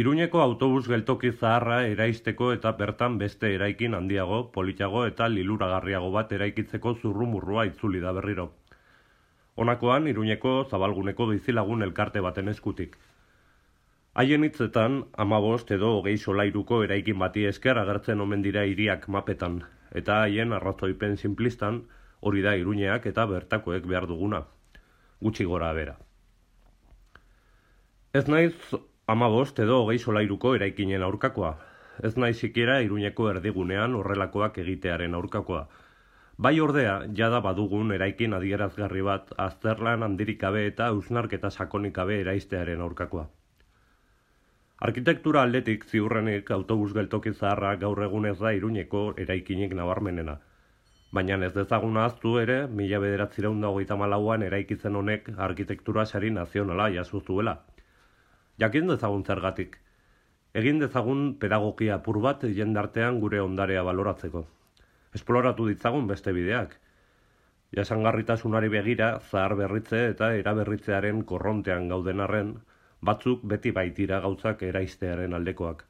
Iruñeko autobus geltoki zaharra eraisteko eta bertan beste eraikin handiago, politago eta liluragarriago bat eraikitzeko zurrumurrua itzuli da berriro. Honakoan, Iruñeko zabalguneko bizilagun elkarte baten eskutik. Haien hitzetan, 15 edo 20 solairuko eraikin bati esker agertzen omen dira hiriak mapetan, eta haien arrazoipen sinplistan hori da Iruñeak eta bertakoek behar duguna, gutxi gora bera. Ez naiz 15 edo 20 solairuko eraikinen aurkakoa, ez naiz sikiera Iruñeko erdigunean horrelakoak egitearen aurkakoa. Bai ordea, jada badugun eraikin adierazgarri bat azterlan handirik gabe eta hausnarketa sakonik gabe eraistearen aurkakoa. Arkitektura aldetik ziurrenik autobus geltoki zaharra gaur egun ez da Iruñeko eraikinik nabarmenena. Baina ez dezagun ahaztu ere, 1934an eraikitzen honek arkitektura sari nazionala jaso zuela. Jakin dezagun zergatik. Egin dezagun pedagogia apur bat jendartean gure ondarea baloratzeko. Esploratu ditzagun beste bideak. Jasangarritasunari begira, zahar berritze eta eraberritzearen korrontean gauden arren, batzuk beti baitira gauzak eraistearen aldekoak.